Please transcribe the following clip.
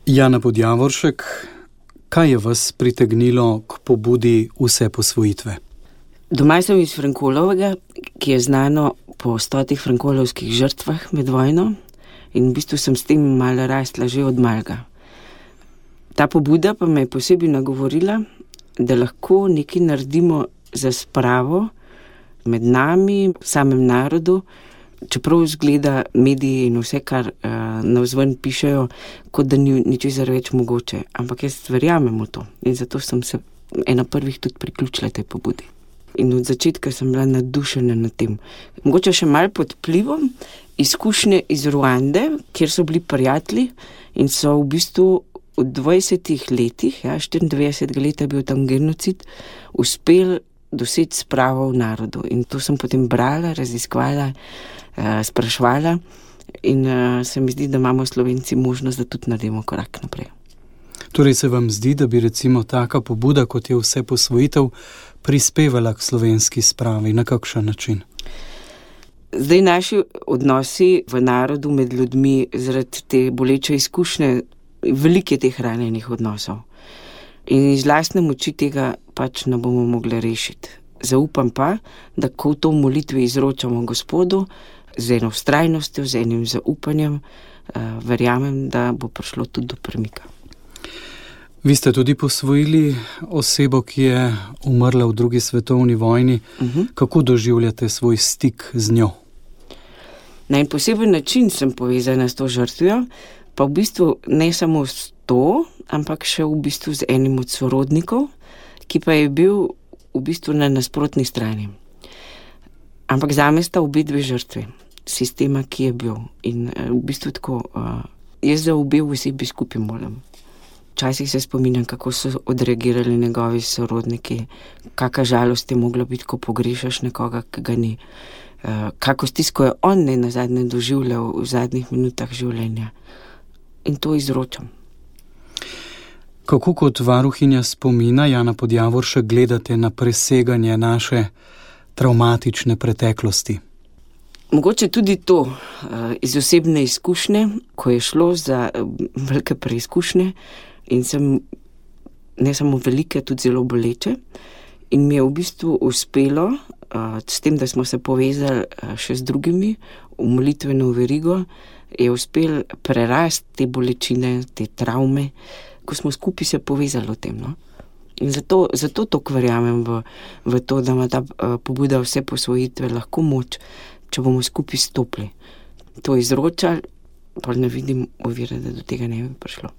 Jana Podjavoršek, kaj je vas pritegnilo k pobudi Vseposvojitve? Doma sem iz Frankolovega, ki je znano po 100 frankolovskih žrtvah med vojno, in v bistvu sem s tem malo rasla že od malega. Ta pobuda pa me je posebej nagovorila, da lahko nekaj naredimo za spravo med nami, samem narodu, čeprav izgleda mediji in vse, kar navzven pišejo, kot da ni ničesar več mogoče. Ampak jaz verjamem v to in zato sem se ena prvih tudi priključila tej pobudi. In od začetka sem bila navdušena nad tem. Mogoče še malo pod vplivom izkušnje iz Ruande, kjer so bili prijatelji in so v bistvu v 20 letih, 94 leta je bil tam genocid, uspeli doseči spravo v narodu. In to sem potem brala, raziskvala, sprašvala in se mi zdi, da imamo Slovenci možnost, da tudi naredimo korak naprej. Torej se vam zdi, da bi recimo taka pobuda, kot je Vseposvojitev, prispevala k slovenski spravi? Na kakšen način? Zdaj naši odnosi v narodu med ljudmi zaradi te boleče izkušnje, veliko je teh ranjenih odnosov. In iz lastne moči tega pač ne bomo mogli rešiti. Zaupam pa, da ko to v molitvi izročamo Gospodu, z eno vztrajnostjo, z enim zaupanjem, verjamem, da bo prišlo tudi do premika. Vi ste tudi posvojili osebo, ki je umrla v 2. svetovni vojni. Kako doživljate svoj stik z njo? Na en poseben način sem povezana s to žrtvijo, pa v bistvu ne samo s to, ampak še v bistvu z enim od sorodnikov, ki pa je bil v bistvu na nasprotni strani. Ampak zame sta obe dve žrtve sistema, ki je bil. In v bistvu tako, jaz za obe osebi skupaj molim. Včasih se spominjam, kako so odreagirali njegovi sorodniki, kakšna žalost je mogla biti, ko pogrešaš nekoga, ki ga ni. Kako stisko je on nazadnje doživljal v zadnjih minutah življenja. In to izročam. Kako kot varuhinja spomina, Jana Podjavoršek, gledate na preseganje naše travmatične preteklosti? Mogoče tudi to, iz osebne izkušnje, ko je šlo za velike preizkušnje in sem ne samo velike, tudi zelo boleče. In mi je v bistvu uspelo, s tem, da smo se povezali še z drugimi v molitveno verigo, je uspel prerasti te bolečine, te travme, ko smo skupaj se povezali o tem. No? In zato toliko verjamem v to, da ima ta pobuda Vseposvojitve lahko moč, če bomo skupaj stopili. To izročali, pa ne vidim ovire, da do tega ne bi prišlo.